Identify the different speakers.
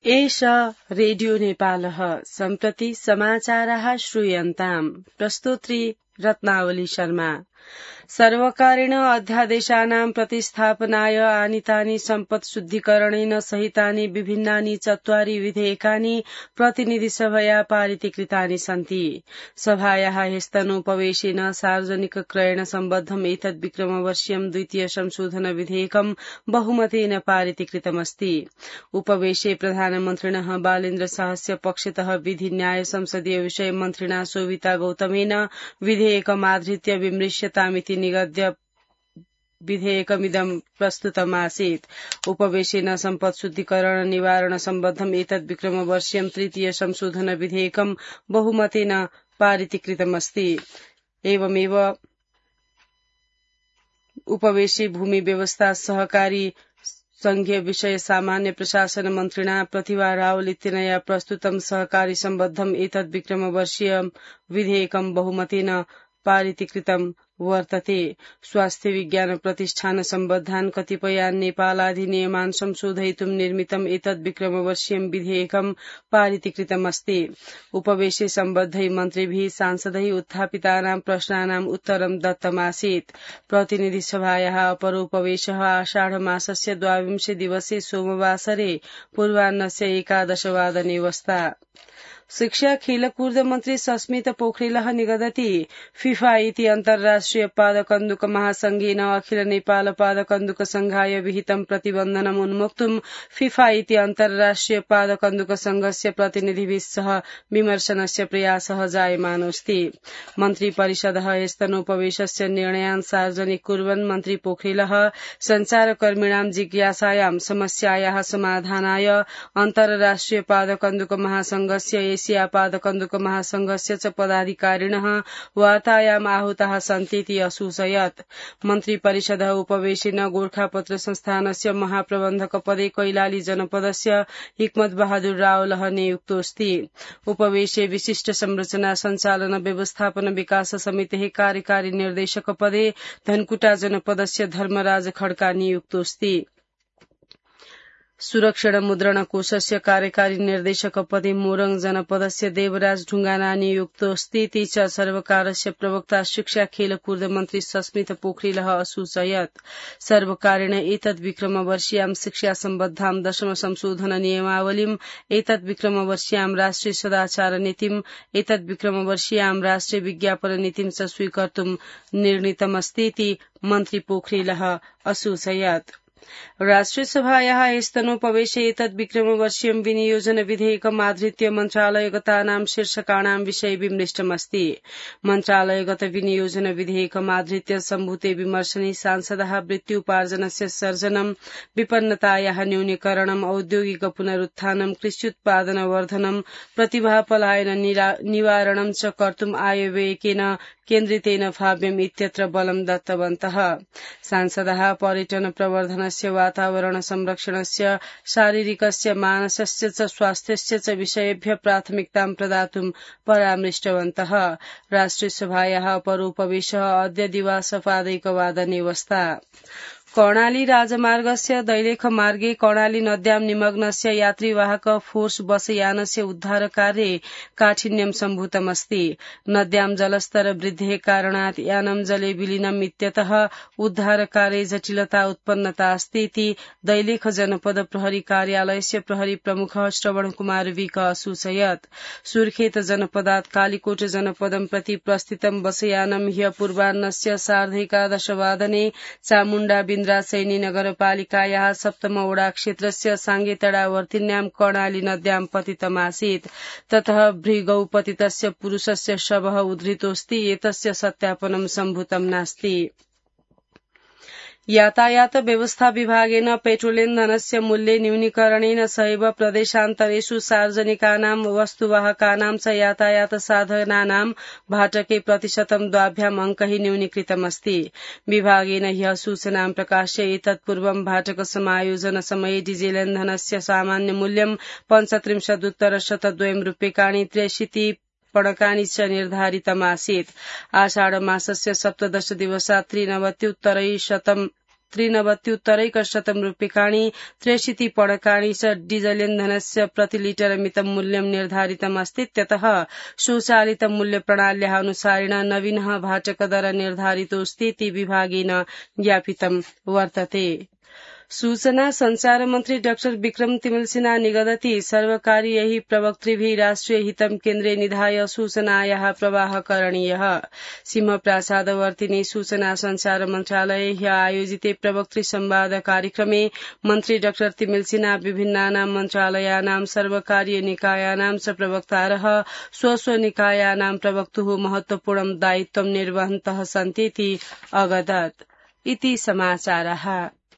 Speaker 1: एष रेडियो नेपालः सम्प्रति समाचाराः श्रूयन्ताम्। प्रस्तोत्री रत्नावली शर्मा। सर्वकारेण अध्यादेशानां प्रतिस्थापनाय आनीतानि सम्पत् शुद्धिकरणेन सहितानि विभिन्नानि 4 विधेयकानि प्रतिनिधिसभया पारितीकृतानि सन्ति। सभायाः ह्यस्तनोपवेशेन सार्वजनिक क्रयण सम्बद्धम् एतद् विक्रमवर्षीयं द्वितीय संशोधन विधेयकं बहुमतेन पारितीकृतमस्ति। उपवेशे प्रधानमन्त्रिणः बालेन्द्र शाहस्य पक्षतः विधि न्याय संसदीय विषय मन्त्रिणा शोभिता गौतमेन विधेयकमाधृत्य विमृश्यतामिति निगद्य विधेयकमिदं प्रस्तुतमासीत्। उपवेशेन सम्पत् शुद्धिकरण निवारण सम्बद्धम् एतद् विक्रमवर्षीयं तृतीय संशोधन विधेयकं बहुमतेन पारितीकृतमस्ति। एवमेव उपवेशे भूमि व्यवस्था सहकारी संघीय विषय सामान्य प्रशासन मन्त्रिणा प्रतिभा रावल इत्यनया प्रस्तुतं सहकारी सम्बद्धम् एतद् विक्रमवर्षीय विधेयकं बहुमतेन पारितीकृतं वर्तते। स्वास्थ्य विज्ञान प्रतिष्ठान सम्बद्धान् कतिपयान् नेपालाधिनियमान् संशोधयितुं निर्मितम् एतद् विक्रमवर्षीयं विधेयकं पारितीकृतमस्ति। उपवेशे सम्बद्धै मन्त्रिभिः सांसदैः उत्थापितानां प्रश्नानाम् उत्तरं दत्तमासीत्। प्रतिनिधिसभायाः अपरोपवेशः आषाढमासस्य 22 दिवसे सोमवासरे पूर्वाह्नस्य 11 वादने वस्ता। शिक्षा खेलकूद मन्त्री सस्मित पोखरेलः निगदति फिफा इति अन्तर्राष्ट्रिय पादकन्दुक महासंघेन अखिल नेपाल पादकन्दुक संघाय विहितं प्रतिबन्धनम् उन्मोक्तुं फिफा इति अन्तर्राष्ट्रिय पादकन्दुक संघस्य प्रतिनिधिभिः सह विमर्शनस्य प्रयासः जायमानोऽस्ति। मन्त्री परिषदः ह्यस्तनोपवेशस्य निर्णयान् सार्वजनिक कुर्वन् मन्त्री पोखरेलः संचारकर्मिणां जिज्ञासायां समस्यायाः समाधानाय अन्तर्राष्ट्रिय पादकन्दुक महासंघस्य एशिया पादकन्दुक महासंघस्य च पदाधिकारिणः वार्तायाम् आहुताः सन्तीति असूचयत्। मन्त्री परिषदः उपवेशेन गोरखापत्र संस्थानस्य महाप्रबन्धक पदे कैलाली जनपदस्य हिक्मत बहादुर रावलः नियुक्तोऽस्ति। उपवेशे विशिष्ट संरचना संचालन व्यवस्थापन विकास समितेः कार्यकारी निर्देशक पदे धनकुटा जनपदस्य धर्मराज खड्का नियुक्तोऽस्ति। सुरक्षण मुद्रण कोषस्य कार्यकारी निर्देशक पदे मोरङ जनपदस्य देवराज ढुङ्गाना नियुक्तोऽस्ति। ती च सर्वकारस्य प्रवक्ता शिक्षा खेलकूद मन्त्री सस्मित पोखरेलः असूचयत्। सर्वकारेण एतद् विक्रमवर्षीयां शिक्षा सम्बद्धां 10 संशोधन नियमावलीम् एतद् विक्रमवर्षीयां राष्ट्रिय सदाचार नीतिम् एतद् विक्रमवर्षीयां राष्ट्रिय विज्ञापन नीतिं च स्वीकर्तुं निर्णीतमस्तीति मन्त्री पोखरेलः असूचयत्। राष्ट्रिय सभायाः ह्यस्तनोपवेशे एतद् विक्रमवर्षीयं विनियोजन विधेयकम् आधृत्य मन्त्रालयगतानां शीर्षकाणां विषये विमृष्टमस्ति। मन्त्रालयगत विनियोजन विधेयकम् आधृत्य सम्भूते विमर्शने सांसदः वृत्त्युपार्जनस्य सर्जनम् विपन्नतायाः न्यूनीकरणम् औद्योगिक पुनरुत्थानम् कृष्युत्पादन वर्धनम् प्रतिभा पलायन निवारणम् च कर्तुम् आयव्ययकेन केन्द्रितेन भाव्यम् इत्यत्र बलं दत्तवन्तः। सांसदः पर्यटन प्रवर्धनस्य वातावरण संरक्षणस्य शारीरिकस्य मानसस्य च स्वास्थ्यस्य च विषयेभ्यः प्राथमिकतां प्रदातुं परामृष्टवन्तः। राष्ट्रिय सभायाः अपरोपवेशः अद्य दिवासपादैकवादने वस्ता। कर्णाली राजमार्गस्य दैलेख मार्गे कर्णाली नद्यां निमग्नस्य यात्रीवाहक फोर्स बसयानस्य उद्धारकार्ये काठिन्यं सम्भूतमस्ति। नद्यां जलस्तर वृद्धेः कारणात् यानं जले विलीनम् इत्यतः उद्धारकार्ये जटिलता उत्पन्नता अस्ति इति दैलेख जनपद प्रहरी कार्यालयस्य प्रहरी प्रमुखः श्रवण कुमार विक असूचयत्। सुर्खेत जनपदात् कालीकोट जनपदं प्रति प्रस्थितं बसयानं ह्य पूर्वाह्नस्य 11:30 वादने चामुण्डा बिन्द्रासैनी नगरपालिकायाः 7 वडा क्षेत्रस्य साङ्गेतडावर्तिन्यां कर्णाली नद्यां पतितमासीत्। ततः भृगौ पतितस्य पुरुषस्य शवः उद्धृतोऽस्ति। एतस्य सत्यापनं सम्भूतं नास्ति। यातायात व्यवस्था विभागेन पेट्रोलिन्धनस्य मूल्ये न्यूनीकरणेन सहैव प्रदेशान्तरेषु सार्वजनिकानां वस्तुवाहकानां च यातायात साधनानां भाटके प्रतिशतं 2 अङ्कः न्यूनीकृतमस्ति। विभागेन ह्यः सूचनां प्रकाश्य एतत्पूर्वं भाटक समायोजन समये डिजेलिन्धनस्य सामान्य मूल्यं 35,102 रूप्यकाणि 63 पणकानि च निर्धारितमासीत्। आषाढ मासस्य 17 दिवसात् 93,100 त्रिनवत्युत्तरैकशतं रूप्यकाणि 63 पणकानि च डीजलेन्धनस्य प्रतिलिटरमितं मूल्यं निर्धारितमस्ति। त्यतः स्वचालितमूल्यप्रणाल्याः अनुसारेण नवीनः भाटकदर निर्धारितोऽस्तीति विभागेन ज्ञापितं वर्तते। सूचना संचार मन्त्री डाक्टर विक्रम तिमलसिन्हा निगदति सर्वकारीयैः प्रवक्तृभिः राष्ट्रिय हितं केन्द्रे निधाय सूचनायाः प्रवाह करणीयः। सिंहप्रासादवर्तिनि सूचना संचार मन्त्रालये ह्य आयोजिते प्रवक्तृ संवाद कार्यक्रमे मन्त्री डाक्टर तिमलसिन्हा विभिन्नानां मन्त्रालयानां सर्वकारीय निकायानां च प्रवक्तारः स्व निकायानां प्रवक्तुः महत्वपूर्णं दायित्वं निर्वहन्तः सन्तीति अवदत्। इति समाचारः।